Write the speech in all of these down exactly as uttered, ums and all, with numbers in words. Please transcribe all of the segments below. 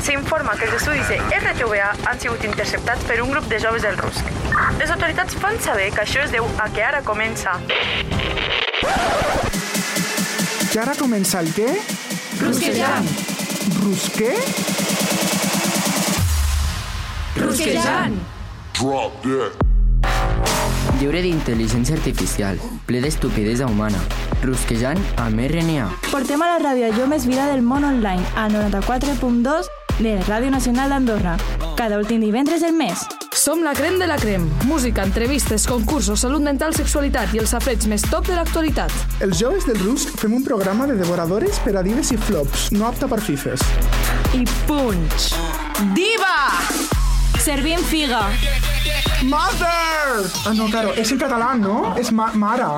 s'informa que els estudis de R T V A han sigut interceptats per un grup de joves del Rusc. Les autoritats fan saber que això es deu a que ara comença... Que ara comença el què? Rusquejant! Rusqué? Rusquejant! Drop dead. Lliure d'intel·ligència artificial, ple d'estupidesa humana. Rusquejant amb R N A. Portem a la ràdio allò més vida del món online, al noranta-quatre punt dos de Ràdio Nacional d'Andorra. Cada últim divendres del mes. Som la crem de la crem. Música, entrevistes, concursos, salut mental, sexualitat i els safareig més top de l'actualitat. Els joves del Rusc fem un programa de devoradores per a dives i flops, no apta per fifes. I punch! Diva! Servim figa. Mother! Ah, no, claro, és en català, no? És ma mare.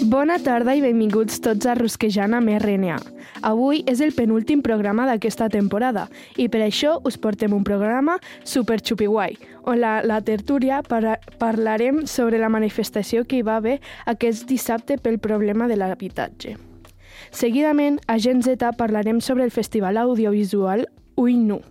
Bona tarda i benvinguts tots a Rusquejant amb R N A. Avui és el penúltim programa d'aquesta temporada i per això us portem un programa super xupiguai, on la, la tertúlia para, parlarem sobre la manifestació que hi va haver aquest dissabte pel problema de l'habitatge. Seguidament, a Gen Z parlarem sobre el festival audiovisual Ull Nu,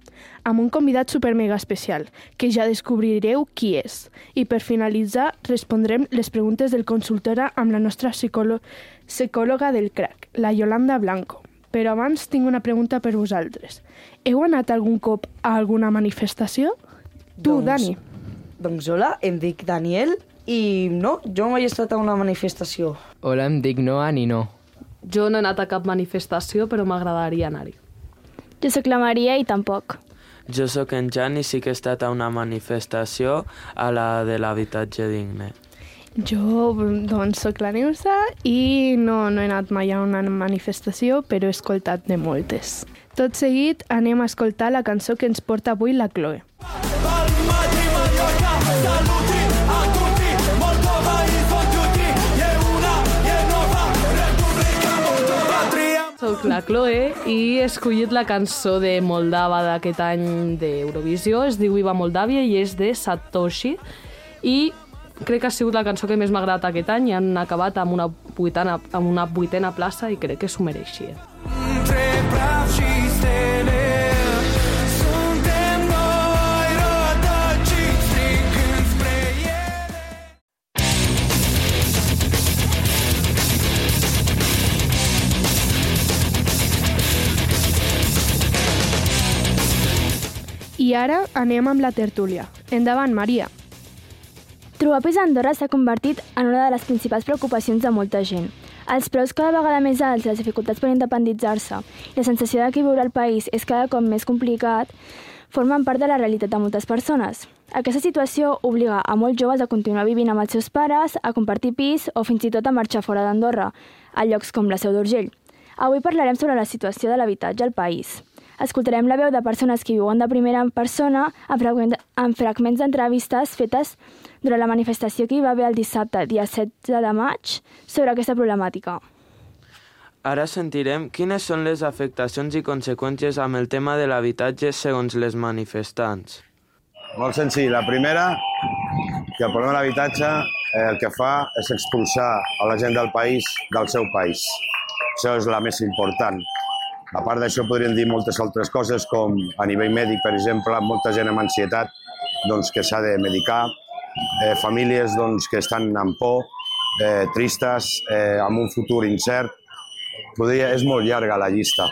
amb un convidat super mega especial, que ja descobrireu qui és. I per finalitzar, respondrem les preguntes del consultora amb la nostra psicòloga, psicòloga del crack, la Yolanda Blanco. Però abans tinc una pregunta per vosaltres. Heu anat algun cop a alguna manifestació? Tu, doncs, Dani. Doncs hola, em dic Daniel i no, jo mai he estat a una manifestació. Hola, em dic Noa ni no. Jo no he anat a cap manifestació, però m'agradaria anar-hi. Jo sóc la Maria i tampoc. Jo sóc en Jan i sí que he estat a una manifestació, a la de l'habitatge digne. Jo, doncs, sóc la Neusa i no, no he anat mai a una manifestació, però he escoltat de moltes. Tot seguit anem a escoltar la cançó que ens porta avui la Chloe. Soc la Chloe i he escollit la cançó de Moldava d'aquest any d'Eurovisió. Es diu Viva Moldàvia i és de Satoshi. I crec que ha sigut la cançó que més m'ha agradat aquest any i han acabat amb una vuitena, amb una vuitena plaça i crec que s'ho mereixia. I ara anem amb la tertúlia. Endavant, Maria. Trobar pis a Andorra s'ha convertit en una de les principals preocupacions de molta gent. Els preus cada vegada més alts, les dificultats per independitzar-se i la sensació de que viure al país és cada cop més complicat formen part de la realitat de moltes persones. Aquesta situació obliga a molts joves a continuar vivint amb els seus pares, a compartir pis o fins i tot a marxar fora d'Andorra, a llocs com la Seu d'Urgell. Avui parlarem sobre la situació de l'habitatge al país. Escoltarem la veu de persones que viuen de primera persona en fragments d'entrevistes fetes durant la manifestació que hi va haver el dissabte, dia setze de maig, sobre aquesta problemàtica. Ara sentirem quines són les afectacions i conseqüències amb el tema de l'habitatge segons les manifestants. Molt senzill. La primera, que el problema de l'habitatge eh, el que fa és expulsar a la gent del país del seu país. Això és la més important. A part d'això podríem dir moltes altres coses, com a nivell mèdic, per exemple, molta gent amb ansietat doncs, que s'ha de medicar, eh, famílies doncs, que estan amb por, eh, tristes, eh, amb un futur incert. Podria, és molt llarga la llista.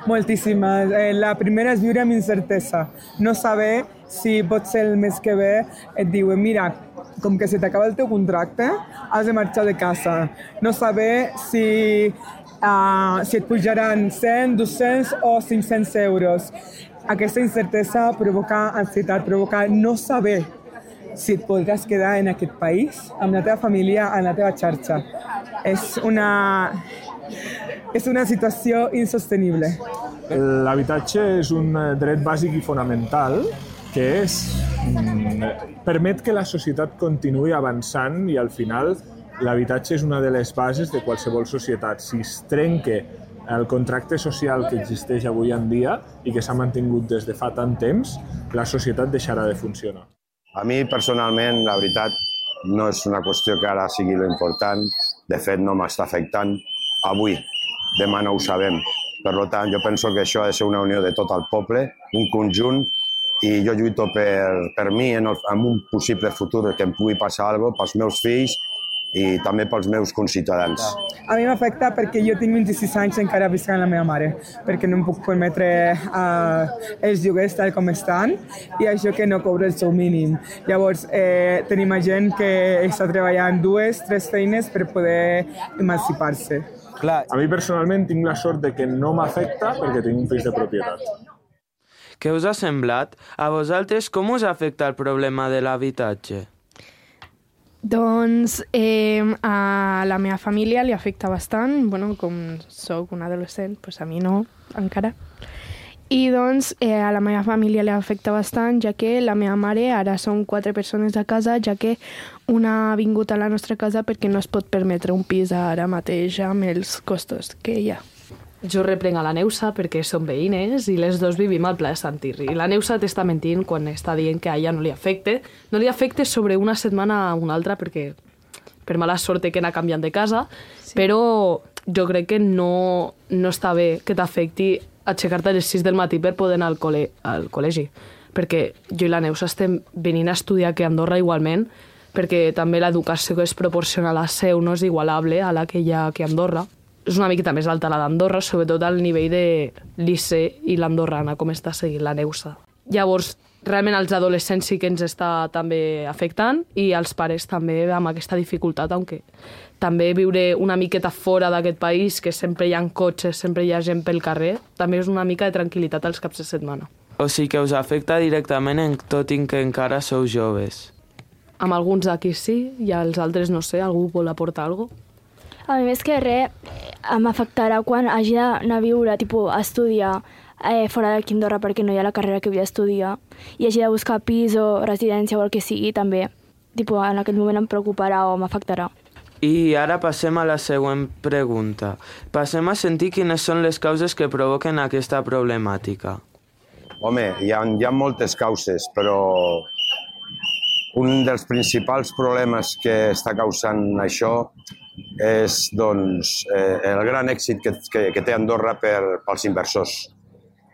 Moltíssimes. Eh, la primera és viure amb incertesa. No saber si pot ser el mes que ve et diuen mira, com que se t'acaba el teu contracte, has de marxar de casa. No saber si... Uh, si et pujaran cent, dos-cents o cinc-cents euros. Aquesta incertesa provoca ansietat, provoca no saber si et podràs quedar en aquest país, amb la teva família, en la teva xarxa. És una, és una situació insostenible. L'habitatge és un dret bàsic i fonamental que és, permet que la societat continuï avançant i al final l'habitatge és una de les bases de qualsevol societat. Si es trenca el contracte social que existeix avui en dia i que s'ha mantingut des de fa tant temps, la societat deixarà de funcionar. A mi, personalment, la veritat, no és una qüestió que ara sigui l'important. De fet, no m'està afectant avui. Demà no ho sabem. Per tant, jo penso que això ha de ser una unió de tot el poble, un conjunt, i jo lluito per, per mi en, el, en un possible futur que em pugui passar alguna cosa, pels meus fills i també pels meus conciutadans. A mi m'afecta perquè jo tinc vint-i-sis anys i encara visc amb la meva mare, perquè no em puc permetre uh, els lloguers tal com estan i això que no cobro el seu mínim. Llavors, eh, tenim gent que està treballant dues, tres feines per poder emancipar-se. Clar, a mi personalment tinc la sort de que no m'afecta perquè tinc un pis de propietat. Què us ha semblat? A vosaltres com us afecta el problema de l'habitatge? Doncs eh, a la meva família li afecta bastant. Bueno, com soc un adolescent, doncs a mi no, encara. I doncs eh, a la meva família li afecta bastant, ja que la meva mare, ara som quatre persones a casa, ja que una ha vingut a la nostra casa perquè no es pot permetre un pis ara mateix amb els costos que hi ha. Jo reprenc a la Neusa perquè som veïnes i les dos vivim al Pla de Sant Irri. La Neusa t'està mentint quan està dient que a ella no li afecte. No li afecte sobre una setmana a una altra perquè per mala sort que anar canviant de casa, sí. Però jo crec que no, no està bé que t'afecti aixecar-te a les sis del matí per poder anar al, col·le, al col·legi. Perquè jo i la Neusa estem venint a estudiar aquí a Andorra igualment, perquè també l'educació que es proporciona a la Seu no és igualable a la que hi ha aquí a Andorra. És una miqueta més alta la d'Andorra, sobretot al nivell de l'I C E i l'andorrana, com està seguint la Neusa. Llavors, realment als adolescents sí que ens està també afectant i als pares també amb aquesta dificultat, aunque també viure una miqueta fora d'aquest país, que sempre hi ha cotxes, sempre hi ha gent pel carrer, també és una mica de tranquil·litat als caps de setmana. O sigui que us afecta directament en tot i que encara sou joves. Amb alguns d'aquí sí, i als altres no sé, algú vol aportar alguna cosa? A mi més que res, m'afectarà quan hagi d'anar a viure, tipus, a estudiar eh, fora d'aquí Andorra perquè no hi ha la carrera que vull estudiar i hagi de buscar pis o residència o el que sigui, també, tipus, en aquell moment em preocuparà o m'afectarà. I ara passem a la següent pregunta. Passem a sentir quines són les causes que provoquen aquesta problemàtica. Home, hi ha, hi ha moltes causes, però un dels principals problemes que està causant això és doncs, eh, el gran èxit que, que, que té Andorra per, pels inversors,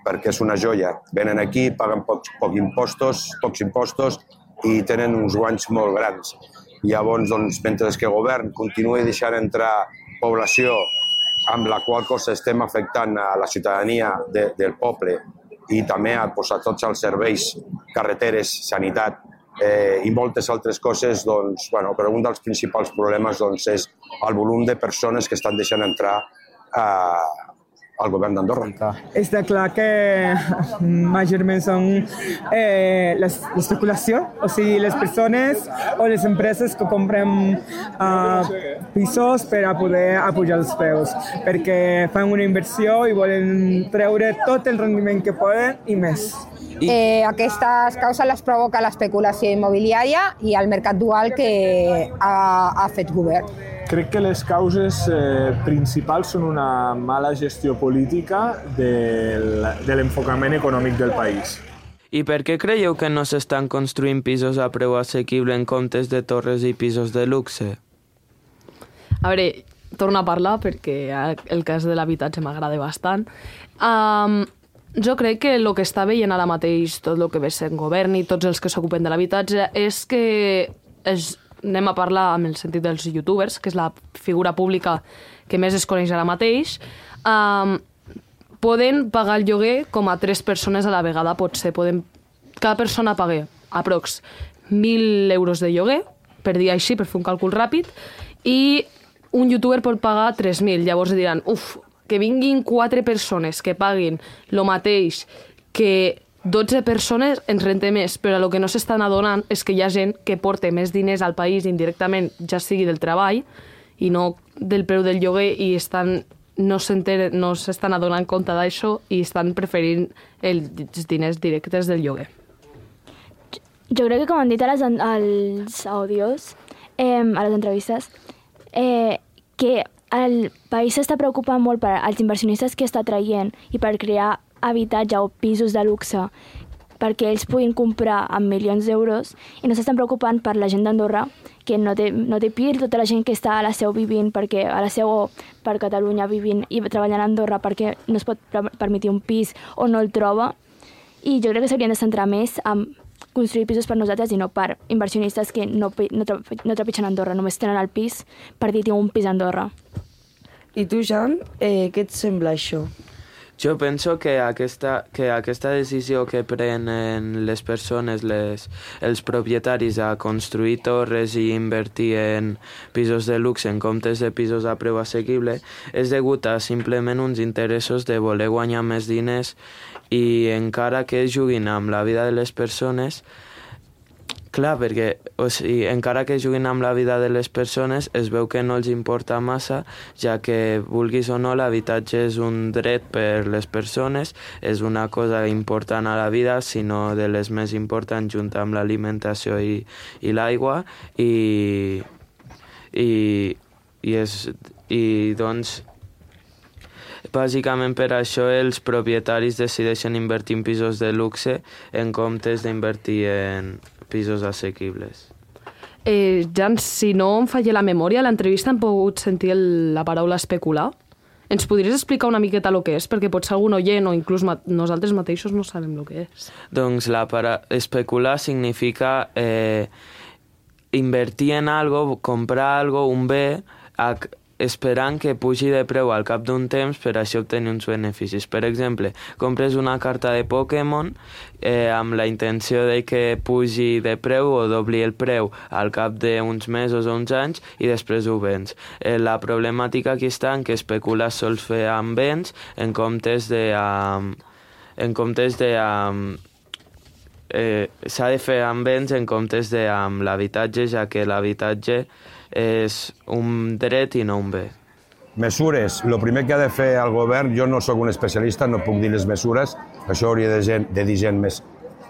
perquè és una joia. Venen aquí, paguen pocs, poc impostos, pocs impostos i tenen uns guanys molt grans. Llavors, doncs, mentre que el govern continuï deixant entrar població amb la qual cosa estem afectant a la ciutadania de, del poble i també a, pues, a tots els serveis, carreteres, sanitat, Eh, i moltes altres coses, doncs, bueno, però un dels principals problemes doncs, és el volum de persones que estan deixant entrar eh, al govern d'Andorra. Està clar que majorment són eh, l'especulació, o sigui, les persones o les empreses que compren eh, pisos per a poder apujar els preus, perquè fan una inversió i volen treure tot el rendiment que poden i més. Eh, aquestes causes les provoca l'especulació immobiliària i el mercat dual que ha, ha fet govern. Crec que les causes eh, principals són una mala gestió política del, de l'enfocament econòmic del país. I per què creieu que no s'estan construint pisos a preu assequible en comptes de torres i pisos de luxe? A veure, torno a parlar perquè el cas de l'habitatge m'agrada bastant. Um, Jo crec que el que està veient ara mateix tot el que ve sent govern i tots els que s'ocupen de l'habitatge és que és, anem a parlar amb el sentit dels youtubers, que és la figura pública que més es coneix ara mateix, um, poden pagar el lloguer com a tres persones a la vegada, potser. Poden, cada persona paga aprox mil euros de lloguer, per dir així, per fer un càlcul ràpid, i un youtuber pot pagar tres mil. Llavors diran, uf, que vinguin quatre persones que paguin el mateix que dotze persones ens rente més, però el que no s'estan adonant és que hi ha gent que porta més diners al país indirectament, ja sigui del treball i no del preu del lloguer, i estan, no s'estan no adonant compte d'això i estan preferint els diners directes del lloguer. Jo crec que, com han dit als àudios, eh, a les entrevistes, eh, que el país s'està preocupant molt per als inversionistes que està traient i per crear habitatge o pisos de luxe perquè ells puguin comprar amb milions d'euros i no s'estan preocupant per la gent d'Andorra que no té, no té pir, tota la gent que està a la seu vivint, perquè a la seu o per Catalunya vivint i treballant a Andorra perquè no es pot permetre un pis o no el troba. I jo crec que s'haurien de centrar més en construir pisos per nosaltres i no per inversionistes que no, no, no trepitgen a Andorra, només tenen el pis per dir tinc un pis a Andorra. I tu, Jan, eh, què et sembla això? Jo penso que aquesta, que aquesta decisió que prenen les persones, les, els propietaris a construir torres i invertir en pisos de luxe en comptes de pisos a preu assequible és degut a simplement uns interessos de voler guanyar més diners i encara que juguin amb la vida de les persones, clar, perquè o sigui, encara que juguin amb la vida de les persones es veu que no els importa massa, ja que vulguis o no l'habitatge és un dret per les persones, és una cosa important a la vida, sinó de les més importants junt amb l'alimentació i, i l'aigua i, i, i, és, i doncs bàsicament per això els propietaris decideixen invertir en pisos de luxe en comptes d'invertir en pisos assequibles. Eh, Jan, si no em falla la memòria, a l'entrevista hem pogut sentir el, la paraula especular. Ens podries explicar una miqueta el que és? Perquè potser algun oient o inclús ma nosaltres mateixos no sabem el que és. Doncs la para especular significa eh, invertir en algo, comprar algo, un bé, a esperant que pugi de preu al cap d'un temps per així obtenir uns beneficis. Per exemple, compres una carta de Pokémon eh, amb la intenció de que pugi de preu o dobli el preu al cap d'uns mesos o uns anys i després ho vens. Eh, la problemàtica aquí està en que especular sols fer amb béns en comptes de... Um, en comptes de... Um, eh, s'ha de fer amb béns en comptes de amb l'habitatge, ja que l'habitatge és un dret i no un bé. Mesures. El primer que ha de fer el govern, jo no sóc un especialista, no puc dir les mesures, això hauria de, gent, de dir gent més,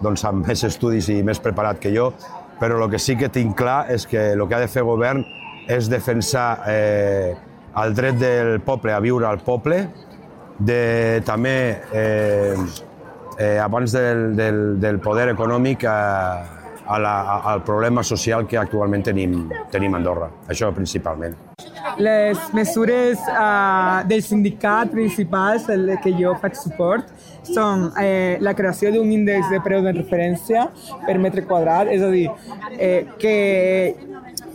doncs, amb més estudis i més preparat que jo, però el que sí que tinc clar és que el que ha de fer el govern és defensar eh, el dret del poble a viure al poble, de, també, eh, eh, abans del, del, del poder econòmic, eh, A la, a, al problema social que actualment tenim, tenim a Andorra. Això principalment. Les mesures uh, del sindicat principals, el que jo faig suport, són eh, la creació d'un índex de preu de referència per metre quadrat, és a dir, eh, que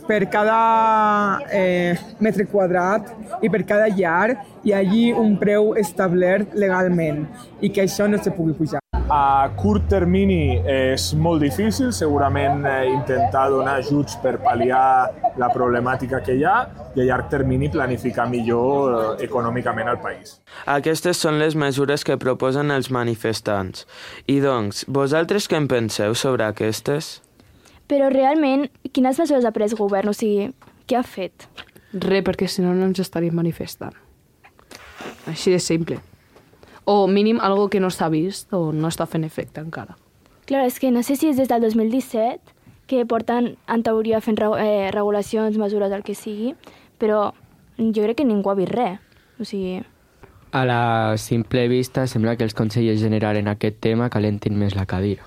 per cada eh, metre quadrat i per cada llar hi hagi un preu establert legalment i que això no se pugui pujar. A curt termini és molt difícil, segurament eh, intentar donar ajuts per pal·liar la problemàtica que hi ha i a llarg termini planificar millor eh, econòmicament el país. Aquestes són les mesures que proposen els manifestants. I doncs, vosaltres què en penseu sobre aquestes? Però realment, quines mesures ha pres el govern? O sigui, què ha fet? Res, perquè si no no ens estaríem manifestant. Així de simple. O mínim algo que no s'ha vist o no està fent efecte encara. Clar, és que no sé si és des del dos mil disset que porten, en teoria, fent eh, regulacions, mesures, el que sigui, però jo crec que ningú ha vist res. O sigui... A la simple vista sembla que els consellers generals en aquest tema calentin més la cadira.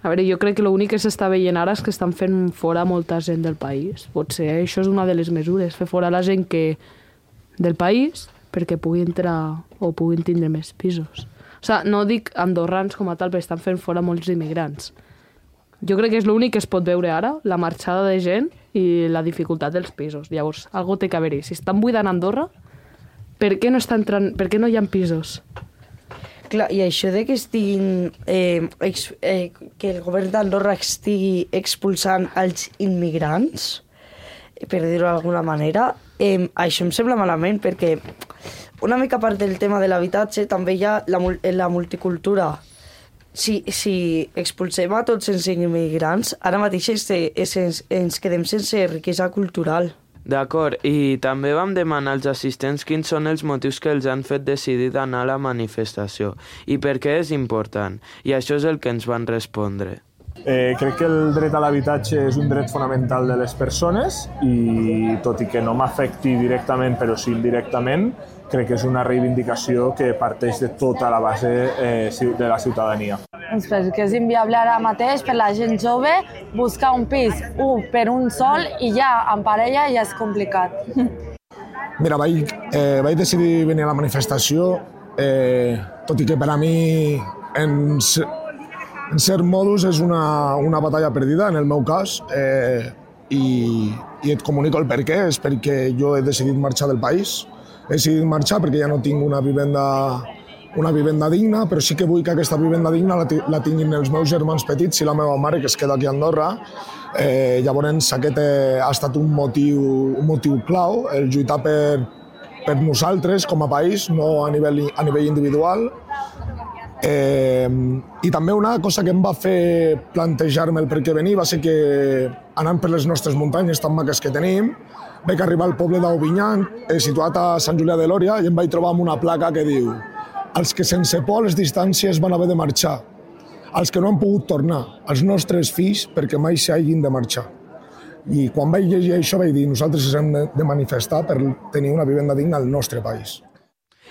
A veure, jo crec que l'únic que s'està veient ara és que estan fent fora molta gent del país. Potser això és una de les mesures, fer fora la gent que del país perquè pugui entrar o puguin tindre més pisos. O sigui, no dic andorrans com a tal, però estan fent fora molts immigrants. Jo crec que és l'únic que es pot veure ara, la marxada de gent i la dificultat dels pisos. Llavors, algo té que haver-hi. Si estan buidant Andorra, per què no, està entrant, per què no hi ha pisos? Clar, i això de que estiguin, eh, ex, eh, que el govern d'Andorra estigui expulsant els immigrants, per dir-ho d'alguna manera, eh, això em sembla malament perquè una mica part del tema de l'habitatge també hi ha la, la multicultura. Si, si expulsem a tots els immigrants, ara mateix ens, ens quedem sense riquesa cultural. D'acord, i també vam demanar als assistents quins són els motius que els han fet decidir d'anar a la manifestació i per què és important, i això és el que ens van respondre. Eh, crec que el dret a l'habitatge és un dret fonamental de les persones i tot i que no m'afecti directament però sí indirectament, crec que és una reivindicació que parteix de tota la base eh, de la ciutadania. Doncs perquè és inviable ara mateix per la gent jove buscar un pis un per un sol i ja en parella ja és complicat. Mira, vaig, eh, vaig decidir venir a la manifestació, eh, tot i que per a mi en, en cert modus és una, una batalla perdida, en el meu cas, eh, i, i et comunico el per què. És perquè jo he decidit marxar del país. He decidit marxar perquè ja no tinc una vivenda, una vivenda digna, però sí que vull que aquesta vivenda digna la, la tinguin els meus germans petits i la meva mare, que es queda aquí a Andorra. Eh, llavors aquest eh, ha estat un motiu, un motiu clau, el lluitar per, per nosaltres com a país, no a nivell, a nivell individual. Eh, I també una cosa que em va fer plantejar-me el per què venir va ser que anant per les nostres muntanyes tan maques que tenim, vaig arribar al poble d'Aubignan, eh, situat a Sant Julià de Lòria, i em vaig trobar amb una placa que diu: els que sense por a les distàncies van haver de marxar, els que no han pogut tornar, els nostres fills perquè mai s'hagin de marxar. I quan vaig llegir això vaig dir: nosaltres ens hem de manifestar per tenir una vivenda digna al nostre país.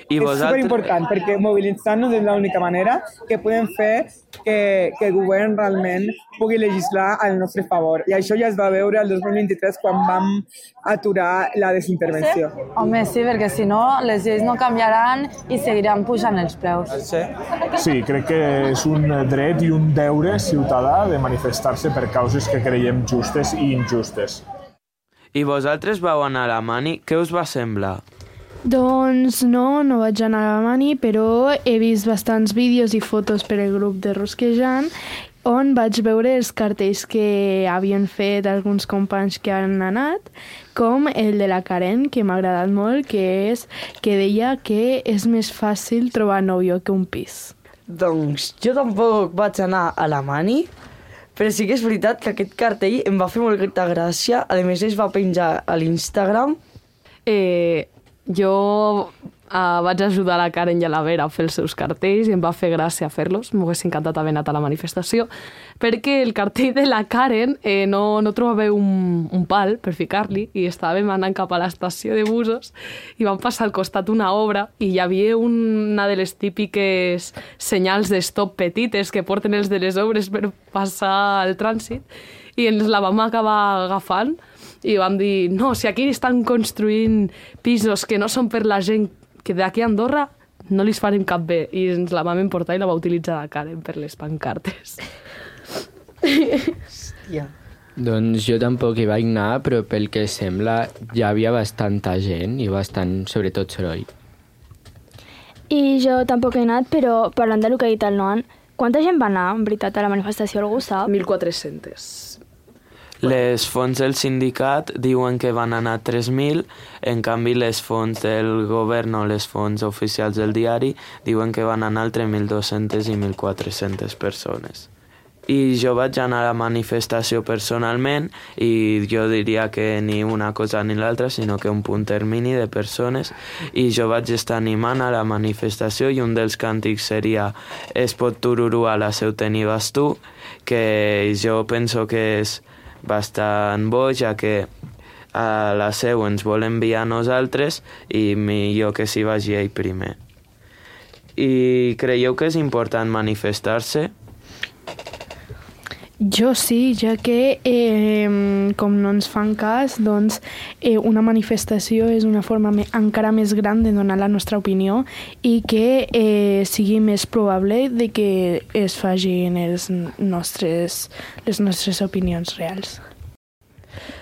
I és vosaltres... superimportant, perquè mobilitzar-nos és l'única manera que podem fer que, que el govern realment pugui legislar al nostre favor. I això ja es va veure el dos mil vint-i-tres quan vam aturar la desintervenció. Sí? Home, sí, perquè si no les lleis no canviaran i seguiran pujant els preus. Sí. Sí, crec que és un dret i un deure ciutadà de manifestar-se per causes que creiem justes i injustes. I vosaltres vau anar a la Mani, què us va semblar? Doncs no, no vaig anar a la Mani, però he vist bastants vídeos i fotos per el grup de Rusquejant on vaig veure els cartells que havien fet alguns companys que han anat, com el de la Karen, que m'ha agradat molt, que és que deia que és més fàcil trobar nòvio que un pis. Doncs jo tampoc vaig anar a la Mani, però sí que és veritat que aquest cartell em va fer molta gràcia. A més, es va penjar a l'Instagram. Eh... Jo uh, vaig ajudar la Karen i a la Vera a fer els seus cartells i em va fer gràcia fer-los. M'hagués encantat haver anat a la manifestació perquè el cartell de la Karen eh, no, no trobava un, un pal per ficar-li i estàvem anant cap a l'estació de busos i vam passar al costat una obra i hi havia una de les típiques senyals de stop petites que porten els de les obres per passar el trànsit i ens la vam acabar agafant i vam dir, no, si aquí estan construint pisos que no són per la gent que d'aquí a Andorra, no li farem cap bé. I ens la vam emportar i la va utilitzar la Karen per les pancartes. Hòstia. Doncs jo tampoc hi vaig anar, però pel que sembla ja havia bastanta gent i bastant, sobretot, soroll. I jo tampoc he anat, però parlant del que ha dit el Noan, quanta gent va anar, en veritat, a la manifestació? Algú sap? mil quatre-cents. Les fonts del sindicat diuen que van anar tres mil, en canvi les fonts del govern o les fonts oficials del diari diuen que van anar entre mil dos-centes i mil quatre-centes persones. I jo vaig anar a la manifestació personalment i jo diria que ni una cosa ni l'altra, sinó que un punt termini de persones, i jo vaig estar animant a la manifestació i un dels càntics seria Es pot tururú a la seu tenives tu, que jo penso que és bastant bo, ja que a la seu ens vol enviar a nosaltres i millor que s'hi vagi ell primer. I creieu que és important manifestar-se? Jo sí, ja que eh, com no ens fan cas, doncs eh, una manifestació és una forma me encara més gran de donar la nostra opinió i que eh, sigui més probable de que es facin els nostres, les nostres opinions reals.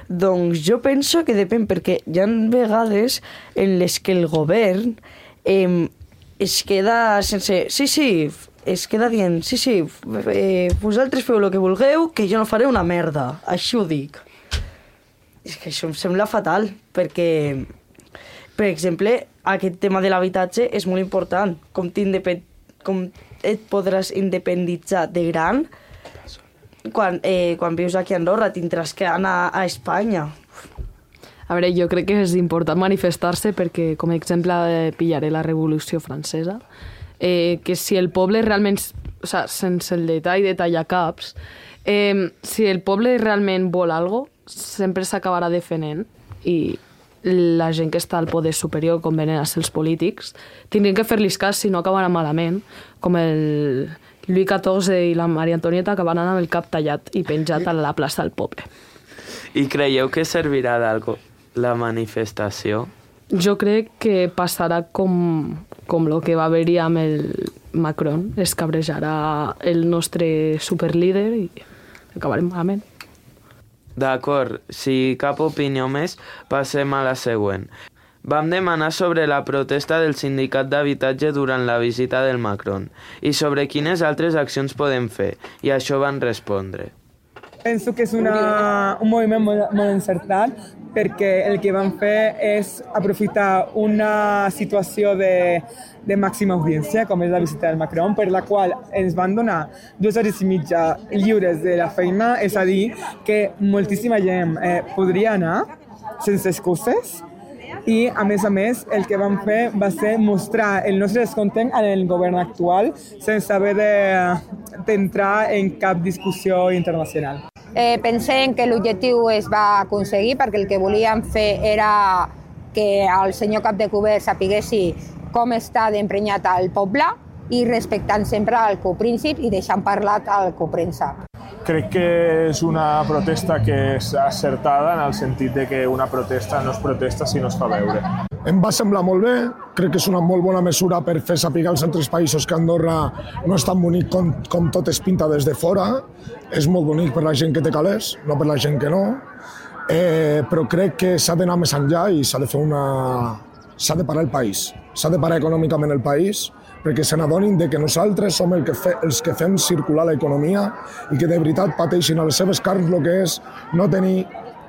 Doncs jo penso que depèn, perquè hi ha vegades en les que el govern eh, es queda sense... Sí, sí, es queda dient, sí, sí, eh, vosaltres feu el que vulgueu, que jo no faré una merda, així ho dic. És que això em sembla fatal, perquè, per exemple, aquest tema de l'habitatge és molt important. Com, com et podràs independitzar de gran, quan, eh, quan vius aquí a Andorra tindràs que anar a Espanya. A veure, jo crec que és important manifestar-se perquè, com a exemple, eh, pillaré la Revolució Francesa, eh, que si el poble realment, o sea, sense el detall de tallar caps, Eh, si el poble realment vol alguna cosa, sempre s'acabarà defendent i la gent que està al poder superior, com venen a ser els polítics, tindrien que fer-los cas, si no acabarà malament, com el Lluís catorze i la Maria Antonieta, que van anar amb el cap tallat i penjat a la plaça del poble. I creieu que servirà d'algo la manifestació? Jo crec que passarà com, com el que va haver-hi amb el Macron, es cabrejarà el nostre superlíder i acabarem malament. D'acord, si cap opinió més, passem a la següent. Vam demanar sobre la protesta del sindicat d'habitatge durant la visita del Macron i sobre quines altres accions podem fer, i això van respondre. Penso que és una, un moviment molt, molt encertat perquè el que van fer és aprofitar una situació de, de màxima audiència, com és la visita del Macron, per la qual ens van donar dues hores i mitja lliures de la feina, és a dir, que moltíssima gent eh, podria anar sense excuses i, a més a més, el que van fer va ser mostrar el nostre descontent en el govern actual sense haver d'entrar en cap discussió internacional. Eh, pensem que l'objectiu es va aconseguir perquè el que volíem fer era que el senyor cap de govern sapiguessi com està d'emprenyat al poble i respectant sempre el copríncip i deixant parlat al copríncep. Crec que és una protesta que és acertada en el sentit de que una protesta no es protesta si no es fa veure. Em va semblar molt bé, crec que és una molt bona mesura per fer saber als altres països que Andorra no és tan bonic com, com tot es pinta des de fora. És molt bonic per la gent que té calés, no per la gent que no. Eh, però crec que s'ha d'anar més enllà i s'ha de fer una... s'ha de parar el país, s'ha de parar econòmicament el país, perquè se n'adonin que nosaltres som el que fe, els que fem circular l'economia i que de veritat pateixin a les seves carns el que és no tenir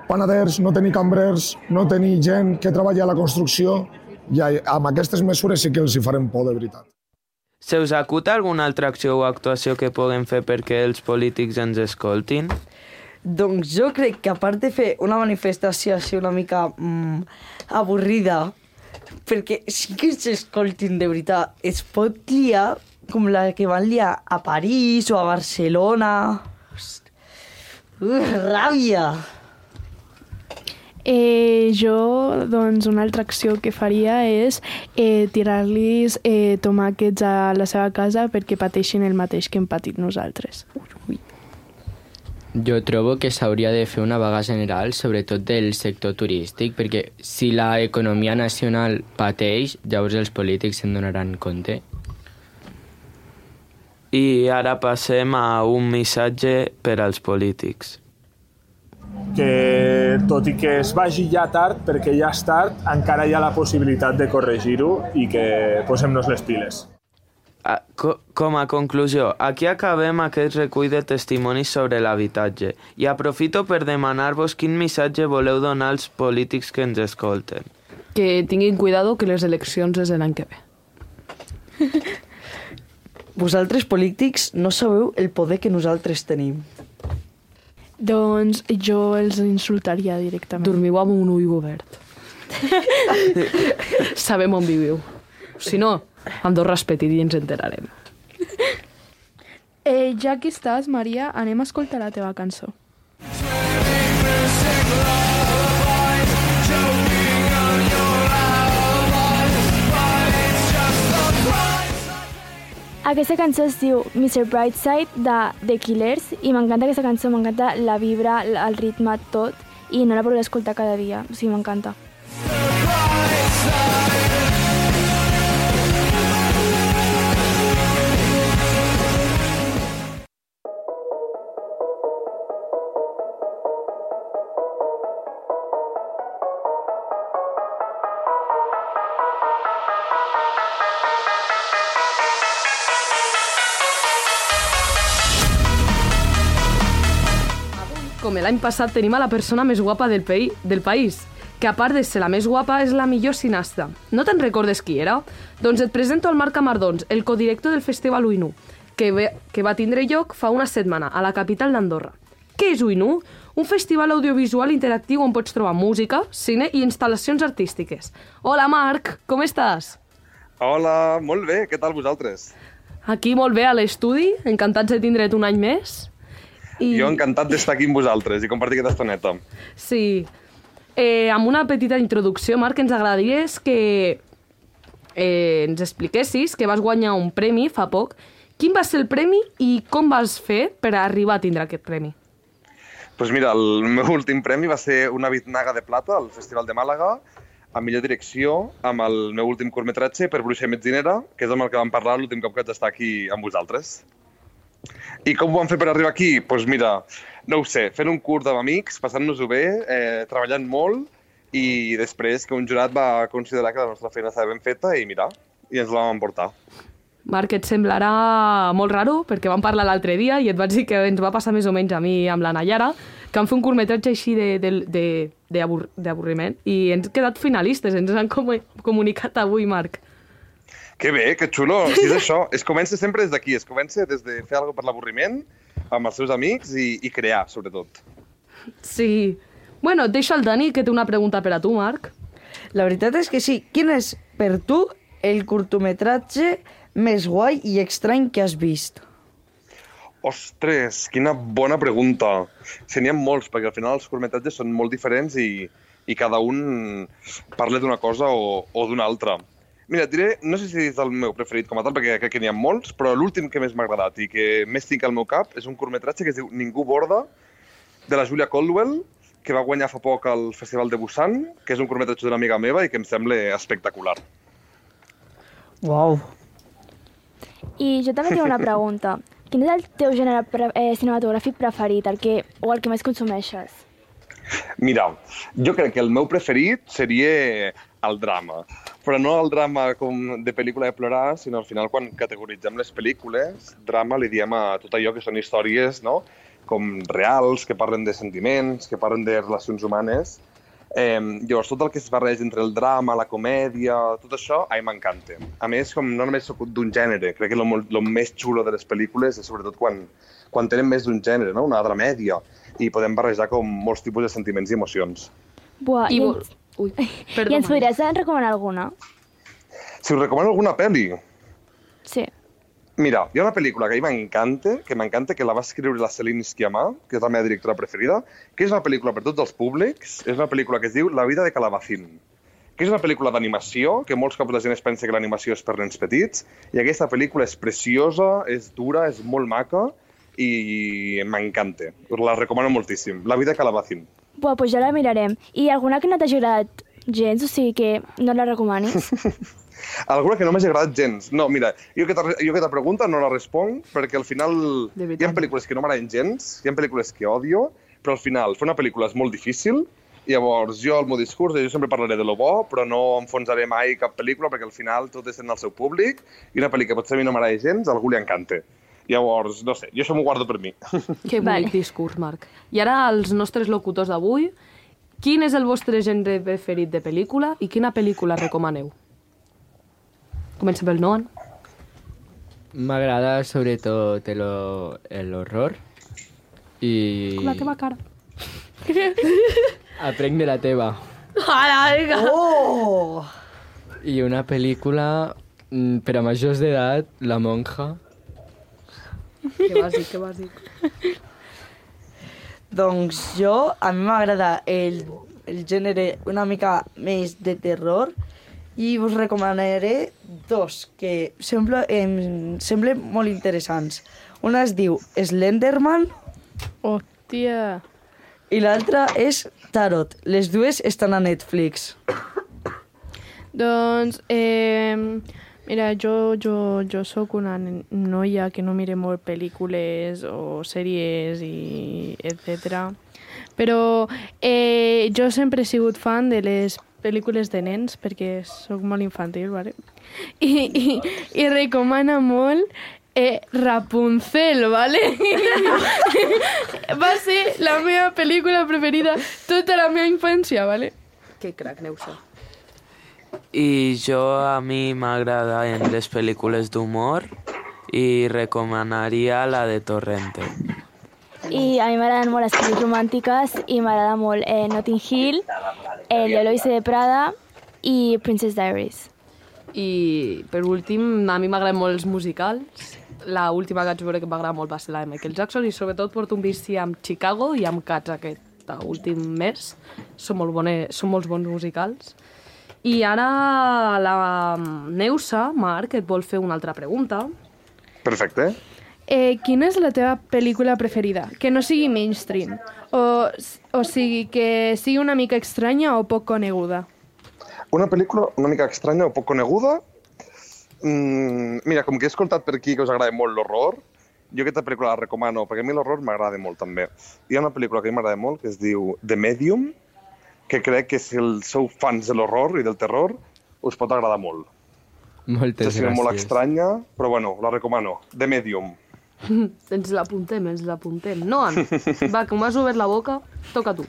panaders, no tenir cambrers, no tenir gent que treballa a la construcció, i amb aquestes mesures sí que els hi farem por de veritat. Se us acut alguna altra acció o actuació que puguem fer perquè els polítics ens escoltin? Doncs jo crec que a part de fer una manifestació així una mica mm, avorrida, perquè sí que s'escoltin de veritat, es pot liar com la que van liar a París o a Barcelona. Uh, ràbia! Eh, jo, doncs, una altra acció que faria és eh, tirar-los eh, tomàquets a la seva casa perquè pateixin el mateix que hem patit nosaltres. Ui. Jo trobo que s'hauria de fer una vaga general, sobretot del sector turístic, perquè si l'economia nacional pateix, llavors els polítics se'n donaran compte. I ara passem a un missatge per als polítics. Que tot i que es vagi ja tard, perquè ja és tard, encara hi ha la possibilitat de corregir-ho i que posem-nos les piles. Com a conclusió, aquí acabem aquest recull de testimonis sobre l'habitatge i aprofito per demanar-vos quin missatge voleu donar als polítics que ens escolten. Que tinguin cuidado que les eleccions és l'any que ve. Vosaltres, polítics, no sabeu el poder que nosaltres tenim. Doncs jo els insultaria directament. Dormiu amb un ull obert. Sabem on viviu. Si no, Andorra és petit i ens enterarem. Eh, ja que estàs, Maria, anem a escoltar la teva cançó. Aquesta cançó es diu mister Brightside de The Killers i m'encanta aquesta cançó, m'encanta la vibra, el ritme, tot, i no la podré escoltar cada dia, o sigui, m'encanta. Com l'any passat tenim a la persona més guapa del, pei, del país, que a part de ser la més guapa és la millor cineasta. No te'n recordes qui era? Doncs et presento el Marc Camardons, el codirector del Festival Uinu, que, ve, que va tindre lloc fa una setmana a la capital d'Andorra. Què és Uinu? Un festival audiovisual interactiu on pots trobar música, cine i instal·lacions artístiques. Hola Marc, com estàs? Hola, molt bé, què tal vosaltres? Aquí molt bé a l'estudi, encantats de tindre't un any més. I... Jo encantat d'estar aquí amb vosaltres i compartir aquesta estoneta. Sí. Eh, amb una petita introducció, Marc, ens agradaria que eh, ens expliquessis que vas guanyar un premi fa poc. Quin va ser el premi i com vas fer per arribar a tindre aquest premi? Doncs pues mira, el meu últim premi va ser una Biznaga de Plata al Festival de Màlaga, a millor direcció, amb el meu últim curtmetratge per Bruixa i Metzinera, que és amb el que vam parlar l'últim cop que vaig estar aquí amb vosaltres. I com ho vam fer per arribar aquí? Doncs pues mira, no ho sé, fent un curt amb amics, passant-nos-ho bé, eh, treballant molt, i després que un jurat va considerar que la nostra feina estava ben feta i mira, i ens la vam emportar. Marc, et semblarà molt raro, perquè vam parlar l'altre dia i et vaig dir que ens va passar més o menys a mi amb la Nayara, que vam fer un curtmetratge així d'avorriment i ens hem quedat finalistes, ens han com comunicat avui, Marc. Que bé, que xulo. Sí, és això. Es comença sempre des d'aquí, es comença des de fer alguna cosa per l'avorriment, amb els seus amics i, i crear, sobretot. Sí. Bueno, et deixo al Dani, que té una pregunta per a tu, Marc. La veritat és que sí. Quin és, per tu, el curtmetratge més guai i estrany que has vist? Ostres, quina bona pregunta. Se n'hi ha molts, perquè al final els curtmetratges són molt diferents i, i cada un parla d'una cosa o, o d'una altra. Mira, et diré, no sé si és el meu preferit com a tal, perquè crec que n'hi ha molts, però l'últim que més m'ha agradat i que més tinc al meu cap és un curtmetratge que es diu Ningú borda, de la Julia Caldwell, que va guanyar fa poc al Festival de Busan, que és un curtmetratge d'una amiga meva i que em sembla espectacular. Uau. I jo també tinc una pregunta. Quin és el teu gènere pre eh, cinematogràfic preferit, el que, o el que més consumeixes? Mira, jo crec que el meu preferit seria el drama. Però no el drama com de pel·lícula de plorar, sinó al final quan categoritzem les pel·lícules, drama li diem a tot allò que són històries, no?, com reals, que parlen de sentiments, que parlen de relacions humanes. Eh, llavors, tot el que es barreja entre el drama, la comèdia, tot això, a mi m'encanta. A més, com no només soc d'un gènere, crec que el més xulo de les pel·lícules és sobretot quan, quan tenen més d'un gènere, no?, una dramèdia, i podem barrejar com molts tipus de sentiments i emocions. Buah, i, I, ens... Ui, I ens podries recomanar alguna? Si us recomano alguna pel·li? Sí. Mira, hi ha una pel·lícula que a mi m'encanta, que m'encanta, que la va escriure la Céline Sciamma, que és la meva directora preferida, que és una pel·lícula per tots els públics, és una pel·lícula que es diu La vida de Calabacín, que és una pel·lícula d'animació, que molts cops la gent es pensa que l'animació és per nens petits, i aquesta pel·lícula és preciosa, és dura, és molt maca, i m'encanta. Us la recomano moltíssim. La vida de Calabacín. Buah, doncs ja la mirarem. I alguna que no t'hagi agradat gens, o sigui que no la recomanis? Alguna que no m'hagi agradat gens. No, mira, jo aquesta pregunta no la responc perquè al final hi ha pel·lícules que no m'agraden gens, hi ha pel·lícules que odio, però al final fer una pel·lícula és molt difícil i llavors jo, el meu discurs, jo sempre parlaré de lo bo, però no enfonsaré mai cap pel·lícula perquè al final tot és en el seu públic i una pel·lícula que potser a mi no m'agrada gens, a algú li encanta. Llavors, no sé, jo això m'ho guardo per mi. Que bonic vale. Discurs, Marc. I ara, els nostres locutors d'avui, quin és el vostre gènere preferit de pel·lícula i quina pel·lícula recomaneu? Comencem pel Noan. M'agrada sobretot l'horror i... Com la teva cara. Aprenc de la teva. Ara, vinga! Oh! I una pel·lícula per a majors d'edat, La monja. Que bàsic, que bàsic. Doncs jo, a mi m'agrada el, el gènere una mica més de terror i us recomanaré dos que sembla, em semblen molt interessants. Una es diu Slenderman. Hòstia. I l'altra és Tarot. Les dues estan a Netflix. Doncs, eh, mira, jo, jo, jo sóc una noia que no mire molt pel·lícules o sèries i etcètera. Però eh, jo sempre he sigut fan de les pel·lícules de nens perquè sóc molt infantil, ¿vale? I, i, i recomana molt eh, Rapunzel, ¿vale? Va ser la meva pel·lícula preferida tota la meva infància, ¿vale? Que crac, Neusa. I jo, a mi m'agraden les pel·lícules d'humor i recomanaria la de Torrente. I a mi m'agraden molt les pel·lícules romàntiques i m'agrada molt eh, Notting Hill, El Eloise de Prada i Princess Diaries. I per últim, a mi m'agraden molt els musicals l'última que vaig veure que em va agradar molt va ser la de Michael Jackson i sobretot porto un vici amb Chicago i amb Cats aquest últim mes. Són molt, bones, són molt bons musicals. I ara la Neusa, Marc, et vol fer una altra pregunta. Perfecte. Eh, quina és la teva pel·lícula preferida? Que no sigui mainstream. O, o sigui, que sigui una mica estranya o poc coneguda. Una pel·lícula una mica estranya o poc coneguda? Mm, mira, com que he escoltat per aquí que us agrada molt l'horror, jo aquesta pel·lícula la recomano, perquè a mi l'horror m'agrada molt també. Hi ha una pel·lícula que a mi m'agrada molt que es diu The Medium, que crec que si sou fans de l'horror i del terror, us pot agradar molt. Moltes gràcies. És molt estranya, però bueno, la recomano. The Medium. Ens l'apuntem, ens l'apuntem. Noan, va, que m'has obert la boca, toca tu.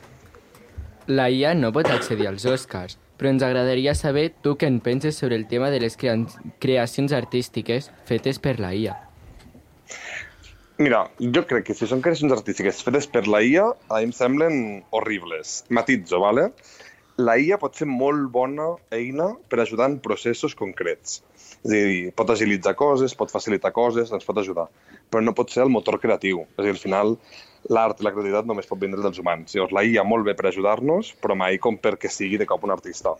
La I A no pot accedir als Oscars, però ens agradaria saber tu què en penses sobre el tema de les crea creacions artístiques fetes per la I A. Mira, jo crec que si són creacions artístiques fetes per la I A, a mi em semblen horribles. Matitzo, vale? La I A pot ser molt bona eina per ajudar en processos concrets. És a dir, pot agilitzar coses, pot facilitar coses, ens pot ajudar. Però no pot ser el motor creatiu. És a dir, al final, l'art i la creativitat només pot vindre dels humans. Llavors, la I A molt bé per ajudar-nos, però mai com perquè sigui de cop un artista.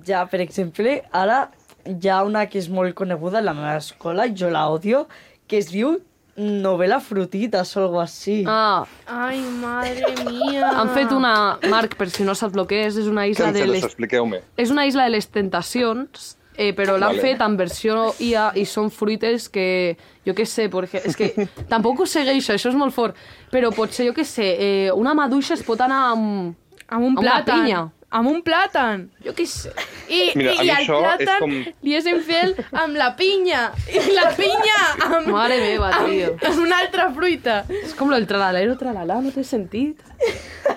Ja, per exemple, ara hi ha una que és molt coneguda a la meva escola, jo la odio, que es diu Novela Frutitas o algo así. Ah. Ai, madre mía. Han fet una... Marc, per si no saps el que és, és una isla de les... Expliqueu-me. És una isla de les tentacions, eh, però l'han Vale. fet en versió I A i són fruites que, jo què sé, perquè, és que tampoc ho segueixo, això és molt fort, però potser, jo què sé, eh, una maduixa es pot anar amb, amb un amb una plàtan. pinya. Amb un plàtan. Jo què sé. I, Mira, i, i a mi el això és plàtan com- li és infel amb la pinya. I la pinya amb... Mare meva, tio. Amb, amb una altra fruita. És com el tralalero, tralala, no té sentit.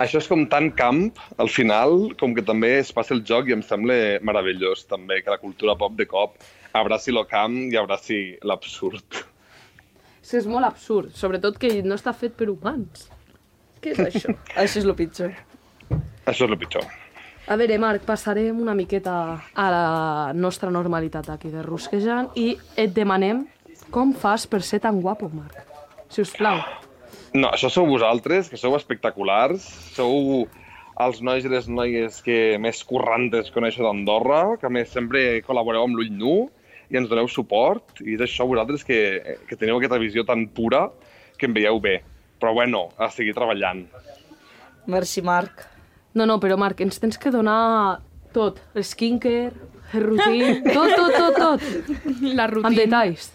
Això és com tan camp, al final, com que també es passa el joc i em sembla meravellós també que la cultura pop de cop abraci lo camp i abraci l'absurd. És que és molt absurd, sobretot que no està fet per humans. Què és això? Això és el pitjor. Això és el pitjor. A veure, Marc, passarem una miqueta a la nostra normalitat aquí de Rusquejant i et demanem com fas per ser tan guapo, Marc. Si us plau. No, això sou vosaltres, que sou espectaculars, sou els nois i les noies que més currantes coneixo d'Andorra, que a més sempre col·laboreu amb l'ull nu i ens doneu suport, i és això vosaltres que, que teniu aquesta visió tan pura que em veieu bé. Però bueno, a seguir treballant. Merci, Marc. No, no, però Marc, ens tens que donar tot. El skincare, el rutin, tot, tot, tot, tot. La rutina. Amb detalls.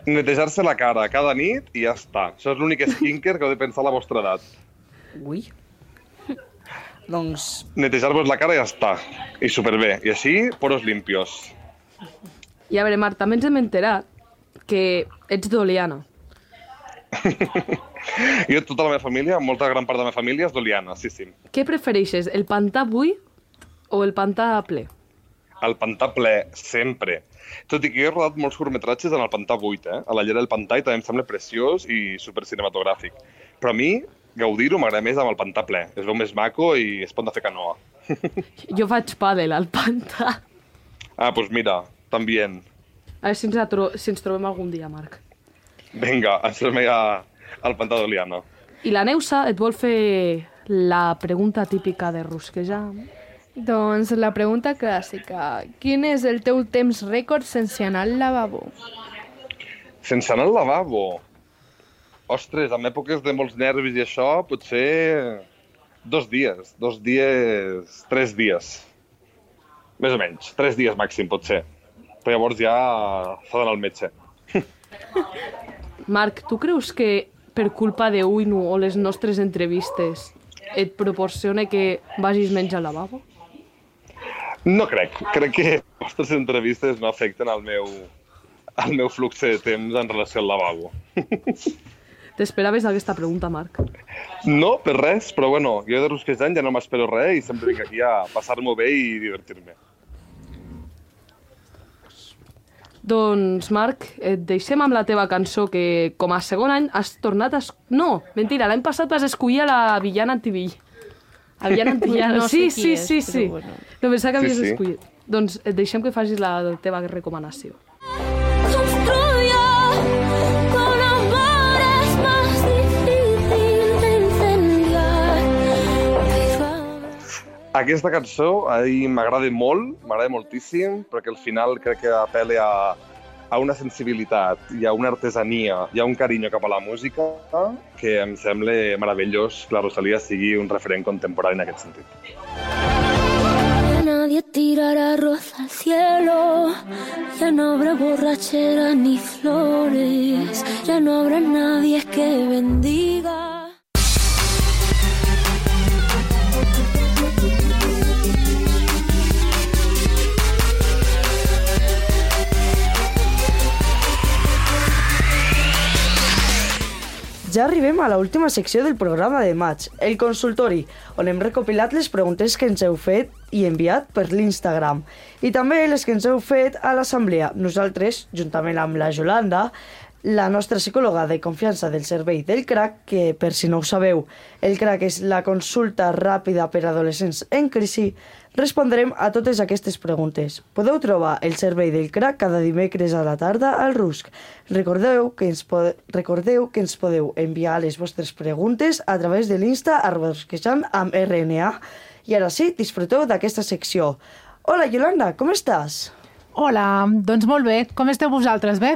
Netejar-se la cara cada nit i ja està. Això és l'únic skincare que heu de pensar a la vostra edat. Ui. Doncs... Netejar-vos la cara i ja està. I superbé. I així, poros limpios. I a veure, Marc, també ens hem enterat que ets d'Oliana. Jo, tota la meva família, molta gran part de la meva família és d'Oliana, sí, sí. Què prefereixes, el pantà buit o el pantà ple? El pantà ple, sempre. Tot i que jo he rodat molts curtmetratges en el pantà buit, eh? A la llera del pantà i també em sembla preciós i supercinematogràfic. Però a mi, gaudir-ho m'agrada més amb el pantà ple. Es veu més maco i es pot fer canoa. Jo faig pàdel al pantà. Ah, doncs pues mira, també. A veure si ens, tro si ens trobem algun dia, Marc. Vinga, ens trobem a, al pantà d'Oliana. I la Neusa et vol fer la pregunta típica de Rusquejar. Doncs la pregunta clàssica. Quin és el teu temps rècord sense anar al lavabo? Sense anar al lavabo? Ostres, en èpoques de molts nervis i això, potser dos dies. Dos dies... Tres dies. Més o menys. Tres dies màxim, potser. Però llavors ja s'ha d'anar al metge. Marc, tu creus que per culpa de Uinu o les nostres entrevistes et proporciona que vagis menys al lavabo? No crec. Crec que les vostres entrevistes no afecten el meu, el meu flux de temps en relació al lavabo. T'esperaves aquesta pregunta, Marc? No, per res, però bueno, jo de Rusquejant ja no m'espero res i sempre vinc aquí a passar-m'ho bé i divertir-me. Doncs, Marc, et deixem amb la teva cançó que, com a segon any, has tornat a... Es... No, mentira, l'any passat vas escollir a la villana antivill. A villana antivillana. No sí, sé qui sí, és, sí, però sí. bueno. No pensava que Sí, havies sí. escollit. Doncs et deixem que facis la teva recomanació. Construyo Aquesta cançó a mi m'agrada molt, m'agrada moltíssim, perquè al final crec que apel·la a, a una sensibilitat i a una artesania i a un carinyo cap a la música que em sembla meravellós que la Rosalía sigui un referent contemporani en aquest sentit. Nadie tirará rosa al cielo, ya no habrá borracheras ni flores, ya no habrá nadie que bendiga. Ja arribem a l'última secció del programa de maig, el consultori, on hem recopilat les preguntes que ens heu fet i enviat per l'Instagram. I també les que ens heu fet a l'assemblea. Nosaltres, juntament amb la Yolanda, la nostra psicòloga de confiança del servei del C R A C, que per si no ho sabeu, el C R A C és la consulta ràpida per a adolescents en crisi, respondrem a totes aquestes preguntes. Podeu trobar el servei del C R A C cada dimecres a la tarda al Rusc. Recordeu que ens, pode... Recordeu que ens podeu enviar les vostres preguntes a través de l'Insta arroba rusquejant amb R N A. I ara sí, disfruteu d'aquesta secció. Hola, Yolanda, com estàs? Hola, doncs molt bé. Com esteu vosaltres, bé?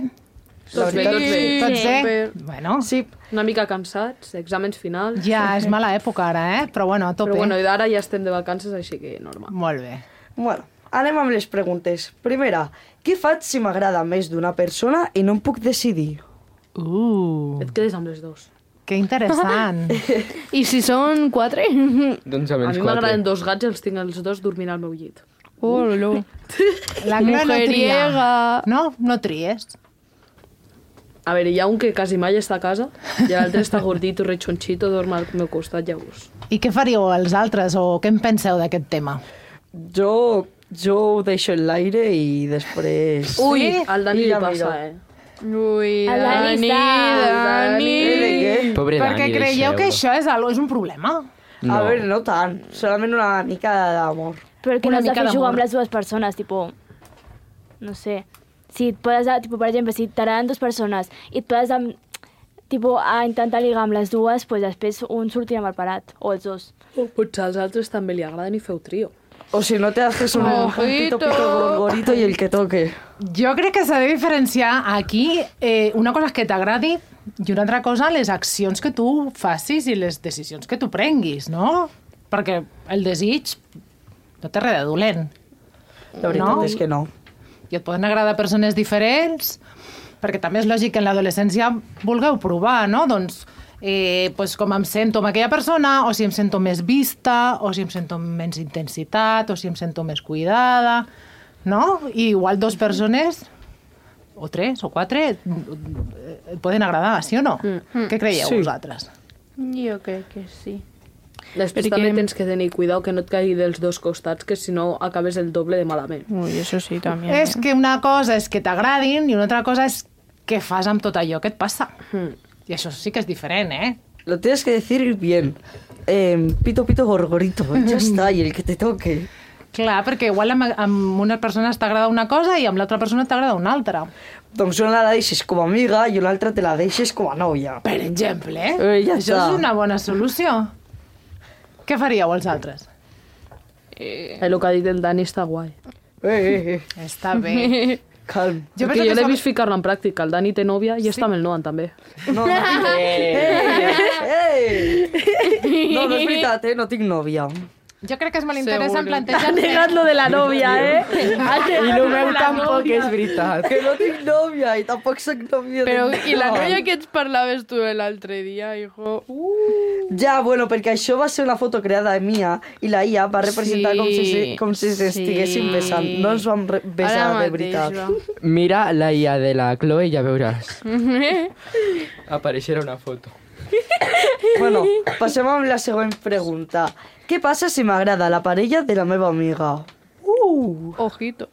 Tots bé, tots bé. Tots bé? Sí. Bueno. Sí, una mica cansats, exàmens finals. Ja, és mala època ara, eh? Però bueno, a tope. Però bueno, i ara ja estem de vacances, així que normal. Molt bé. Bueno, anem amb les preguntes. Primera, què faig si m'agrada més d'una persona i no em puc decidir? Uh. Et quedes amb les dos. Que interessant. I si són quatre? Doncs amb A els mi m'agraden dos gats i els tinc els dos dormint al meu llit. Oh, no. La Clara no tria. No? No tries. A veure, hi ha un que quasi mai està a casa i l'altre està gordito, rechonchito, dorm al meu costat, llavors. I què faríeu els altres o què en penseu d'aquest tema? Jo, jo ho deixo en l'aire i després... Ui, al Dani li passa, eh? Ui, El Dani, Dani... Dani. Pobre Perquè Dani, creieu deixeu-lo. que això és, algo, és un problema? No. A veure, no tant, solament una mica d'amor. Però que Una no has de mica fer jugar d'amor. amb les dues persones, tipo... No sé. Si et poses, a, tipo, per exemple, si t'agraden dues persones i et poses a, tipo, a intentar ligar amb les dues, pues després un sortirà mal parat, o els dos. O potser als altres també li agraden i feu trio. O si no te haces un, un pito pito gorgorito i el que toque. Jo crec que s'ha de diferenciar aquí eh, una cosa és que t'agradi i una altra cosa les accions que tu facis i les decisions que tu prenguis, no? Perquè el desig no té res de dolent. La veritat no? és que no. I et poden agradar persones diferents, perquè també és lògic que en l'adolescència vulgueu provar, no? Doncs, eh, pues com em sento amb aquella persona, o si em sento més vista, o si em sento amb menys intensitat, o si em sento més cuidada, no? I igual dos persones, o tres, o quatre, et poden agradar, sí o no? Mm. Què creieu Sí. vosaltres? Jo crec que sí. Després Perquè- també tens que tenir cuidado que no et caigui dels dos costats, que si no acabes el doble de malament. Ui, eso sí, també. És que una cosa és que t'agradin i una altra cosa és què fas amb tot allò que et passa. Mm. I això sí que és diferent, eh? Lo tienes que decir bien. Eh, pito pito gorgorito, ya está, y el que te toque. Clar, perquè igual amb, amb una persona t'agrada una cosa i amb l'altra persona t'agrada una altra. Doncs una la deixes com a amiga i una altra te la deixes com a nòvia. Per exemple, eh? Eh, ja Això està. és una bona solució. Què faríeu els altres? Eh, el que ha dit el Dani està guai. Eh, eh, eh. Està bé. Calm. Jo, jo l'he vist ficar-la en pràctica. El Dani té nòvia i sí. està amb el Noan, també. No, no, eh, eh. no, no és veritat, eh? No tinc nòvia. Jo crec que és molt interessant plantejar... Ha negat lo de la nòvia, eh? I el meu tampoc és veritat. Que no tinc nòvia i tampoc soc nòvia. Però, de i la ningú. noia que ets parlaves tu l'altre dia, hijo? Uh. Ja, bueno, perquè això va ser una foto creada mia i la I A va representar Sí, com si, com si sí. s'estiguessin besant. No ens vam re- besar Ara de mateix, veritat. va. Mira la I A de la Chloe i ja veuràs. Apareixerà una foto. Bueno, passem amb la següent pregunta. Què passa si m'agrada la parella de la meva amiga? Uh! Ojito.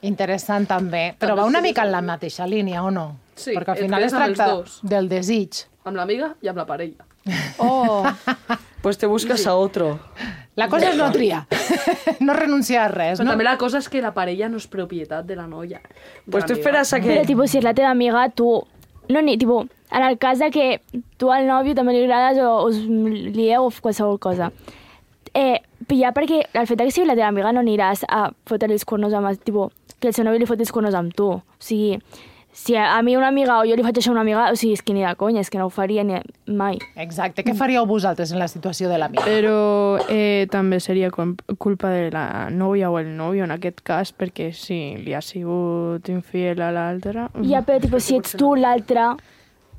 Interessant també, però va una mica en la mateixa línia, o no? Sí, perquè al et final quedes es amb els tracta dos. del desig. Amb l'amiga i amb la parella. Oh. Pues te buscas a otro. La cosa és no triar, no renunciar a res, Però no? també la cosa és que la parella no és propietat de la noia. de Pues tu l'amiga. esperes a que... Però, tipo, si és la teva amiga, tu... No, ni, tipo, en el cas de que tu al nòvio també li agrades o us lieu o qualsevol cosa. Eh, pillar perquè el fet que sigui la teva amiga no aniràs a fotre els cuernos amb... Tipo, que el seu nòvio li foti els cuernos amb tu. O sigui, si a mi una amiga o jo li faig això a una amiga, o sigui, és que ni de conya, és que no ho faria ni mai. Exacte. Què faríeu vosaltres en la situació de l'amiga? Però eh, també seria culpa de la nòvia o el nòvio en aquest cas, perquè si li ha sigut infiel a l'altra... Ja, però tipo, si ets tu l'altra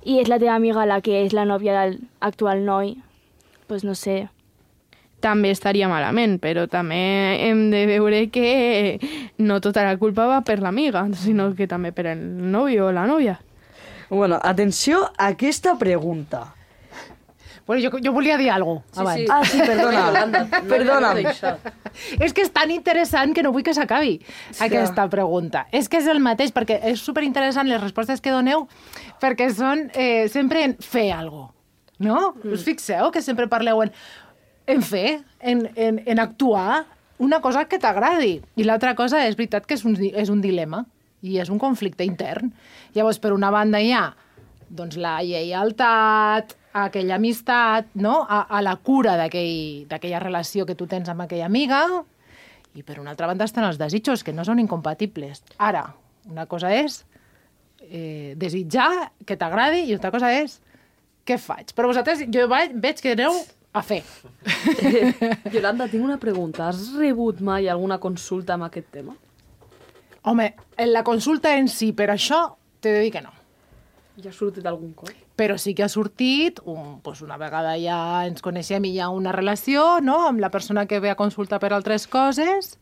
i és la teva amiga la que és la nòvia del actual noi, doncs no sé... també estaria malament, però també hem de veure que no tota la culpa va per l'amiga, sinó que també per el nòvio o la nòvia. Bueno, atenció a aquesta pregunta. Bueno, jo, jo volia dir alguna cosa abans. Sí. Ah, sí, perdona. Perdona. És que és tan interessant que no vull que s'acabi sí. aquesta pregunta. És que és el mateix, perquè és superinteressant les respostes que doneu, perquè són eh, sempre en fer alguna cosa, no? Mm. Us fixeu que sempre parleu en... en fer, en, en, en actuar una cosa que t'agradi. I l'altra cosa és veritat que és un, és un dilema i és un conflicte intern. Llavors, per una banda hi ha doncs, la lleialtat, aquella amistat, no? a, a la cura d'aquella relació que tu tens amb aquella amiga, i per una altra banda estan els desitjos, que no són incompatibles. Ara, una cosa és eh, desitjar que t'agradi i altra cosa és què faig. Però vosaltres, jo veig que aneu a fer. Yolanda, tinc una pregunta. Has rebut mai alguna consulta amb aquest tema? Home, en la consulta en si, per això, t'he de dir que no. Ja ha sortit algun cop? Però sí que ha sortit, un, doncs una vegada ja ens coneixem i hi ha una relació, no?, amb la persona que ve a consulta per altres coses,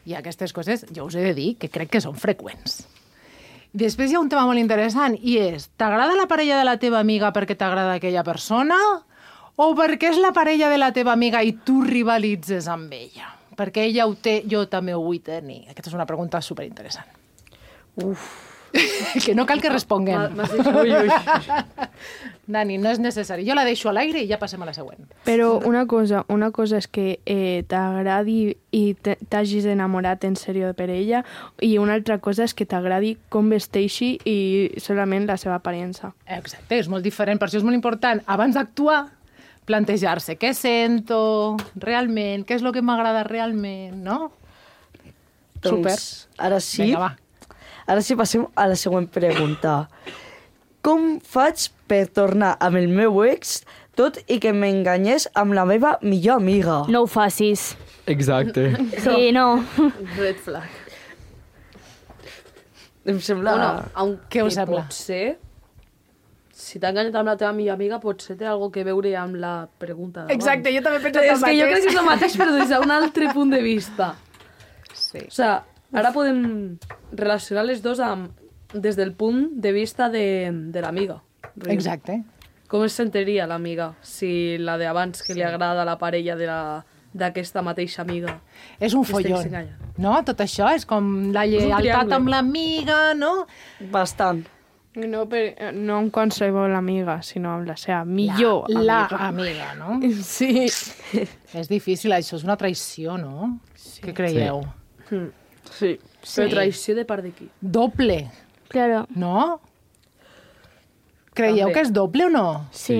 i aquestes coses, jo us he de dir que crec que són freqüents. Després hi ha un tema molt interessant, i és, t'agrada la parella de la teva amiga perquè t'agrada aquella persona? O perquè és la parella de la teva amiga i tu rivalitzes amb ella? Perquè ella ho té, jo també ho vull tenir. Aquesta és una pregunta superinteressant. Uf. Que no cal que responguem. M'has dit ui, ui. Dani, no és necessari. Jo la deixo a l'aire i ja passem a la següent. Però una cosa, una cosa és que eh, t'agradi i t'hagis enamorat en sèrio per ella, i una altra cosa és que t'agradi com vesteixi i solament la seva aparença. Exacte, és molt diferent. Per això és molt important, abans d'actuar, plantejar-se què sento realment, què és el que m'agrada realment, no? Doncs, Super. Ara sí, Vinga, va. Ara sí passem a la següent pregunta. Com faig per tornar amb el meu ex tot i que m'enganyés amb la meva millor amiga? No ho facis. Exacte. Sí, no. Red flag. Em sembla... Bueno, què us sembla? Potser, si t'ha enganyat amb la teva millor amiga, potser té alguna que veure amb la pregunta d'abans. Exacte, jo també he pensat el mateix. És que jo crec que és el mateix, però des d'un altre punt de vista. Sí. O sigui, ara podem relacionar les dues amb, des del punt de vista de, de l'amiga. Exacte. Com es sentiria l'amiga si la d'abans que sí. li agrada la parella de la d'aquesta mateixa amiga? És un follon, no? Tot això és com la lleialtat amb l'amiga, no? Bastant. No, per, no amb qualsevol amiga, sinó amb la seva millor la, amiga. La amiga, no? Sí. És difícil, això és una traïció, no? Sí. Què creieu? Sí. sí. sí. Però traïció de part de qui? Doble. Claro. No? Creieu també que és doble o no? Sí.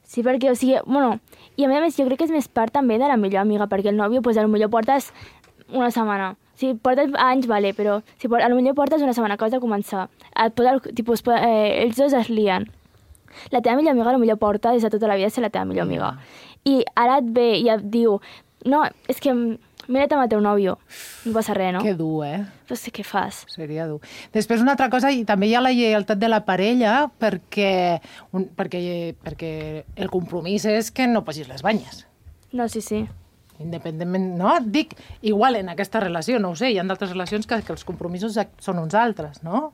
Sí, perquè, o sigui, bueno, i a més jo crec que és més part també de la millor amiga, perquè el nòvio, pues, potser portes una setmana. Si portes anys, vale, però si por, potser portes una setmana que has de començar. Et pot, tipus, eh, els dos es lien. La teva millor amiga potser porta des de tota la vida ser la teva millor amiga. I ara et ve i et diu, no, és que mira't amb el teu nòvio. No passa res, no? Que dur, eh? No sé què fas. Seria dur. Després, una altra cosa, i també hi ha la lleialtat de la parella, perquè, un, perquè, perquè el compromís és que no posis les banyes. No, sí, sí. Independentment, no? Dic, igual en aquesta relació, no ho sé, hi ha d'altres relacions que, que els compromisos són uns altres, no?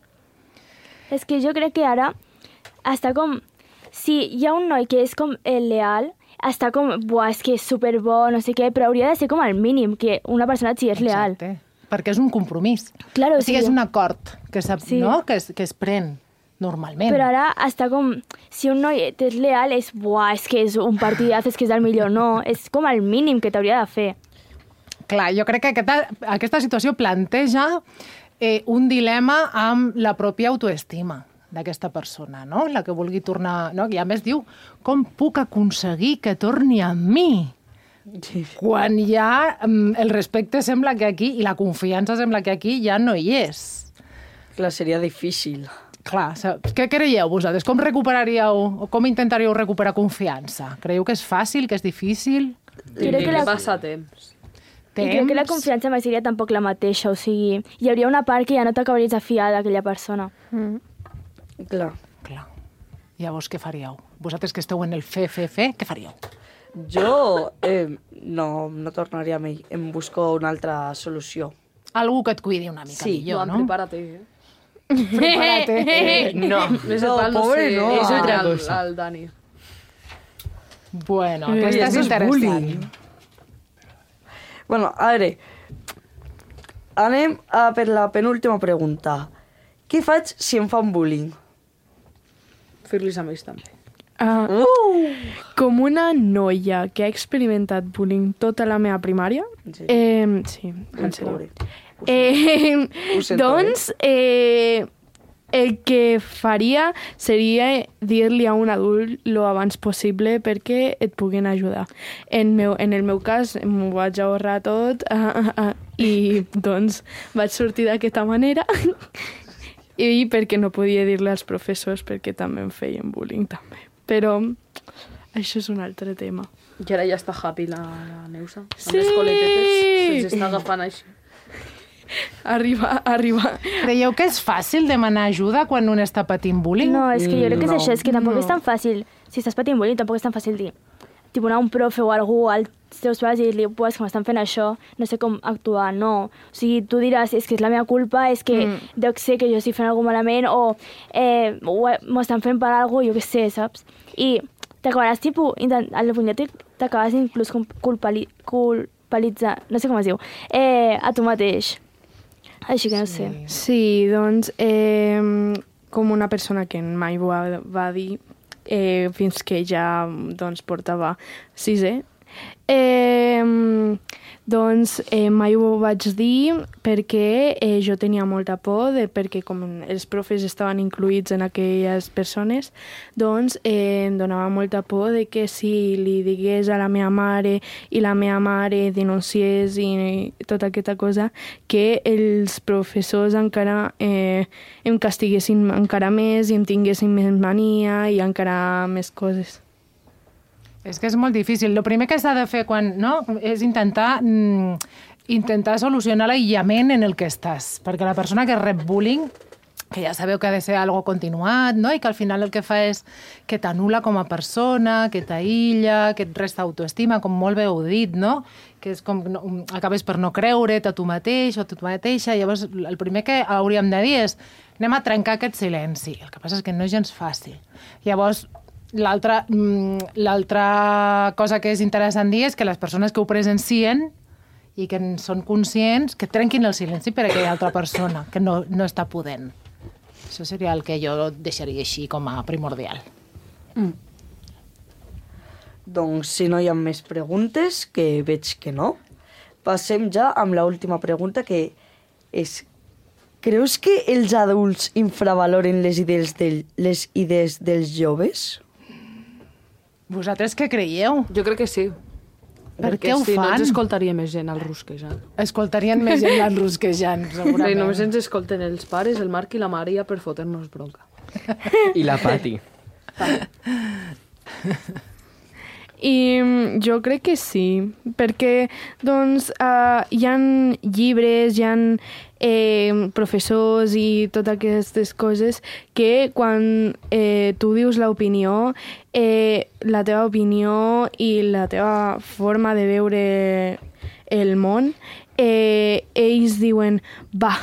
És que jo crec que ara està com... Si hi ha un noi que és com el leal, està com, buah, és que és superbo, no sé què, però hauria de ser com el mínim, que una persona et sigui leal. Exacte, perquè és un compromís. Claro, o sigui, sí. és un acord que, sí. no? que, es, que es pren normalment. Però ara està com... Si un noi és leal, és, buah, és que és un partidaz, és que és el millor. No, és com el mínim que t'hauria de fer. Clar, jo crec que aquesta, aquesta situació planteja eh, un dilema amb la pròpia autoestima d'aquesta persona, no? La que vulgui tornar... No? I a més diu, com puc aconseguir que torni a mi? quan ja el respecte sembla que aquí, i la confiança sembla que aquí ja no hi és. Clar, seria difícil. Clar, què creieu vosaltres? Com recuperaríeu, o com intentaríeu recuperar confiança? Creieu que és fàcil, que és difícil? Crec que la... passa temps. I crec que la confiança mai seria tampoc la mateixa, o sigui, hi hauria una part que ja no t'acabaries de fiar d'aquella persona. Mm. Clar. Clar. Llavors, què faríeu? Vosaltres que esteu en el fe, fe, fe, què faríeu? Jo eh, no, no tornaria amb ell, em busco una altra solució. Algú que et cuidi una mica sí. millor, no? No, prepárate, eh? Prepárate. Eh, no, no, no, pobre, no. És otra al, cosa. al Dani. Bueno, aquesta és interessant. Bueno, a veure, anem a per la penúltima pregunta. Què faig si em fan bullying? Fer-los a ells també. Uh, uh! Com una noia que ha experimentat bullying tota la meva primària, sí, eh, sí en sèrio. Eh, doncs, eh, el que faria seria dir-li a un adult lo abans possible perquè et puguin ajudar. En, meu, en el meu cas, m'ho vaig ahorrar tot uh, uh, uh, i doncs vaig sortir d'aquesta manera i perquè no podia dir-li als professors perquè també em feien bullying també. Però això és un altre tema. I ara ja està happy la, la Neusa. Sí! Amb les coletetes se'ls està agafant així. Arriba, arriba. Creieu que és fàcil demanar ajuda quan un està patint bullying? No, és que jo crec que és no. això, és que tampoc no. és tan fàcil. Si estàs patint bullying, tampoc és tan fàcil dir. Tipo, anar a un profe o algú als teus pares i dir-li, pues, que m'estan fent això, no sé com actuar, no. O sigui, tu diràs, és que és la meva culpa, és que mm. deu ser que jo estic fent alguna malament, o eh, m'estan fent per alguna cosa, jo què sé, saps? I t'acabaràs, tipus, al punyet t'acabes inclús culpali culpabilitzant, no sé com es diu, eh, a tu mateix. Així que no sé. Sí, doncs, eh, com una persona que mai ho va, va dir eh, fins que ja doncs, portava sisè, eh, doncs eh, mai ho vaig dir perquè eh, jo tenia molta por, de, perquè com els profes estaven incluïts en aquelles persones, doncs eh, em donava molta por de que si li digués a la meva mare i la meva mare denunciés i, i tota aquesta cosa, que els professors encara eh, em castiguessin encara més i em tinguessin més mania i encara més coses. És que és molt difícil. El primer que s'ha de fer quan, no, és intentar, mm, intentar solucionar l'aïllament en el que estàs. Perquè la persona que rep bullying, que ja sabeu que ha de ser algo continuat, no? I que al final el que fa és que t'anul·la com a persona, que t'aïlla, que et resta autoestima, com molt bé heu dit, no? Que és com no, acabes per no creure't a tu mateix o a tu mateixa. Llavors, el primer que hauríem de dir és anem a trencar aquest silenci. El que passa és que no és gens fàcil. Llavors, L'altra cosa que és interessant dir és que les persones que ho presencien i que en són conscients, que trenquin el silenci per a aquella altra persona que no, no està podent. Això seria el que jo deixaria així com a primordial. Mm. Doncs si no hi ha més preguntes, que veig que no, passem ja amb l'última pregunta, que és: creus que els adults infravaloren les idees, del, les idees dels joves? Vosaltres què creieu? Jo crec que sí. Per Perquè què ho si fan? no ens escoltaria més gent al rusquejant. Escoltarien més gent al rusquejant, segurament. I només ens escolten els pares, el Marc i la Maria per fotre-nos bronca. I la Pati. I jo crec que sí, perquè doncs, uh, hi ha llibres, hi ha eh, professors i totes aquestes coses que quan eh, tu dius l'opinió, eh, la teva opinió i la teva forma de veure el món, eh, ells diuen, va,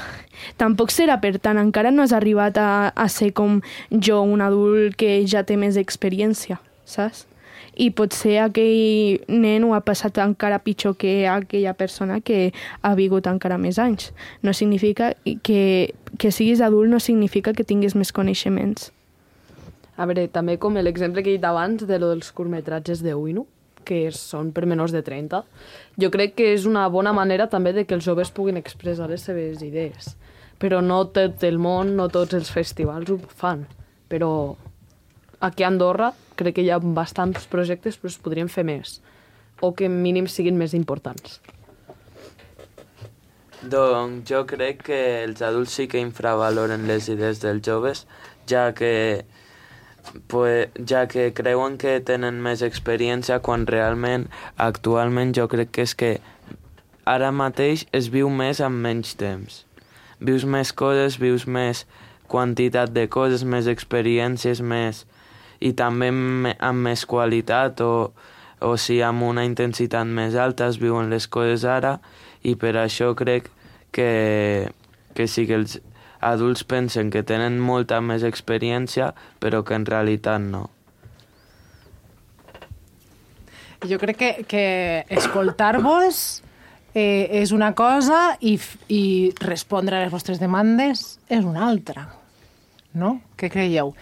tampoc serà per tant, encara no has arribat a, a ser com jo, un adult que ja té més experiència, saps? I potser aquell nen ho ha passat encara pitjor que aquella persona que ha vigut encara més anys. No significa que, que siguis adult, no significa que tinguis més coneixements. A veure, també com l'exemple que he dit abans de lo dels curtmetratges de Uinu, que són per menors de trenta, jo crec que és una bona manera també de que els joves puguin expressar les seves idees. Però no tot el món, no tots els festivals ho fan. Però aquí a Andorra crec que hi ha bastants projectes, però es podrien fer més. o que mínim siguin més importants? Doncs jo crec que els adults sí que infravaloren les idees dels joves, ja que, pues, ja que creuen que tenen més experiència quan realment, actualment, jo crec que és que ara mateix es viu més amb menys temps. Vius més coses, vius més quantitat de coses, més experiències, més... i també amb més qualitat o, o si amb una intensitat més alta es viuen les coses ara, i per això crec que, que sí que els adults pensen que tenen molta més experiència, però que en realitat no. Jo crec que, que escoltar-vos eh, és una cosa i, i respondre a les vostres demandes és una altra, no? Què creieu?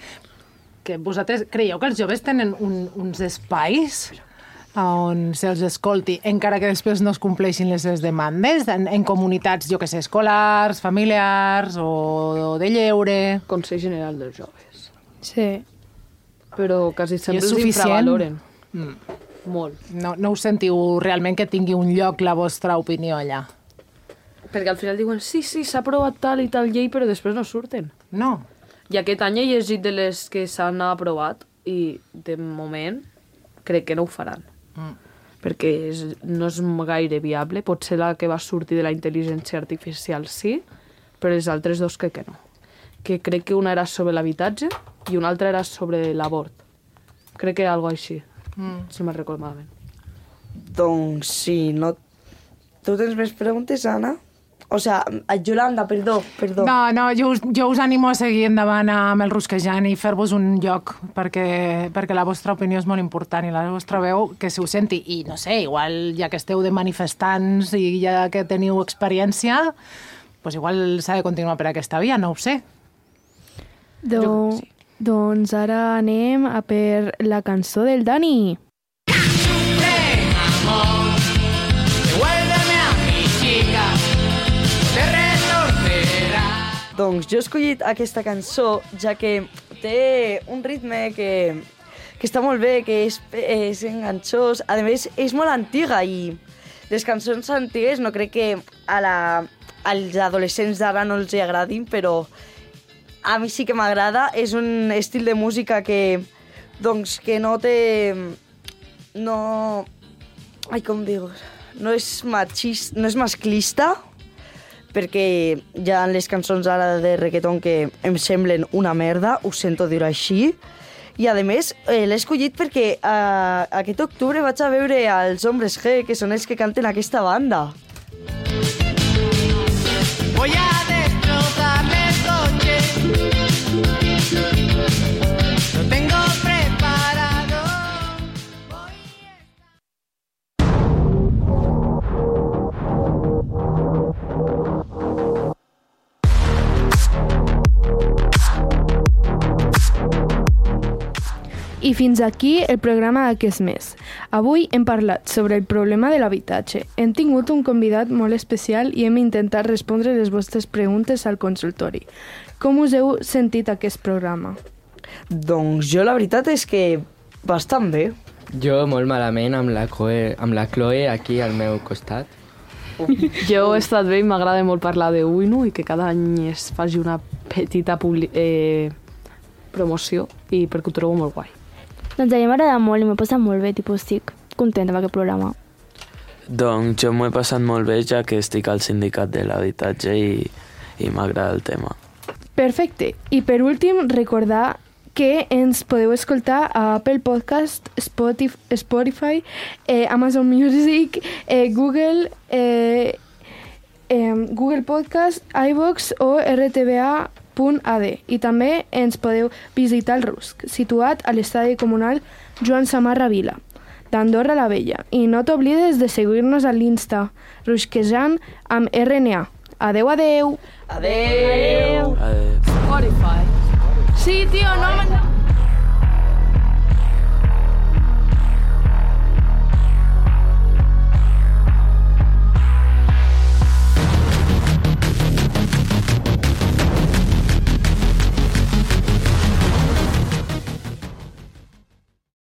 Que vosaltres creieu que els joves tenen un, uns espais on se'ls escolti, encara que després no es compleixin les seves demandes, en, en comunitats, jo que sé, escolars, familiars o, o de lleure... Consell General dels Joves. Sí. Però quasi sempre els infravaloren. Mm. Molt. No, no us sentiu realment que tingui un lloc la vostra opinió allà? Perquè al final diuen, sí, sí, s'ha aprovat tal i tal llei, però després no surten. No. I aquest any he llegit de les que s'han aprovat i, de moment, crec que no ho faran. Mm. Perquè és, no és gaire viable. Potser la que va sortir de la intel·ligència artificial sí, però els altres dos crec que no. Que crec que una era sobre l'habitatge i una altra era sobre l'abort. Crec que era alguna així, mm. si me'n recordo malament. Doncs sí, no... Tu tens més preguntes, Anna? O sea, Yolanda, perdó, perdó. No, no, jo us, jo us animo a seguir endavant amb el Rusquejant i fer-vos un lloc, perquè, perquè la vostra opinió és molt important i la vostra veu que se us senti. I no sé, igual ja que esteu de manifestants i ja que teniu experiència, pues igual s'ha de continuar per aquesta via, no ho sé. Do, sí. Doncs ara anem a per la cançó del Dani. Ven, amor, devuélveme a mi chica. Doncs jo he escollit aquesta cançó, ja que té un ritme que, que està molt bé, que és, és enganxós. A més, és molt antiga i les cançons antigues no crec que a la, als adolescents d'ara no els agradin, però a mi sí que m'agrada. És un estil de música que, doncs, que no té... No... Ai, com digo? No és machista, no és masclista, perquè hi ha les cançons ara de reggaeton que em semblen una merda, ho sento dir-ho així, i a més eh, l'he escollit perquè eh, aquest octubre vaig a veure els Hombres G, que són els que canten aquesta banda. Voy a destrozarme el coche. Lo tengo preparado. I fins aquí el programa d'aquest mes. Avui hem parlat sobre el problema de l'habitatge. Hem tingut un convidat molt especial i hem intentat respondre les vostres preguntes al consultori. Com us heu sentit aquest programa? Doncs jo la veritat és que bastant bé. Jo molt malament amb la Chloe, amb la Chloe aquí al meu costat. Jo he estat bé i m'agrada molt parlar de Uinu i que cada any es faci una petita publi- eh, promoció i perquè ho trobo molt guai. Doncs a mi m'agrada molt i m'he passat molt bé, tipus, estic contenta amb aquest programa. Doncs jo m'ho he passat molt bé, ja que estic al sindicat de l'habitatge i, i m'agrada el tema. Perfecte. I per últim, recordar que ens podeu escoltar a Apple Podcast, Spotify, Spotify eh, Amazon Music, eh, Google, eh, eh, Google Podcast, iVoox o R T V A punt A D. I també ens podeu visitar el Rusc, situat a l'estadi comunal Joan Samarra Vila, d'Andorra la Vella. I no t'oblides de seguir-nos a l'Insta, Rusquejant amb R N A. Adeu, adeu! Adeu! Adeu. Spotify. Sí, tío, no me...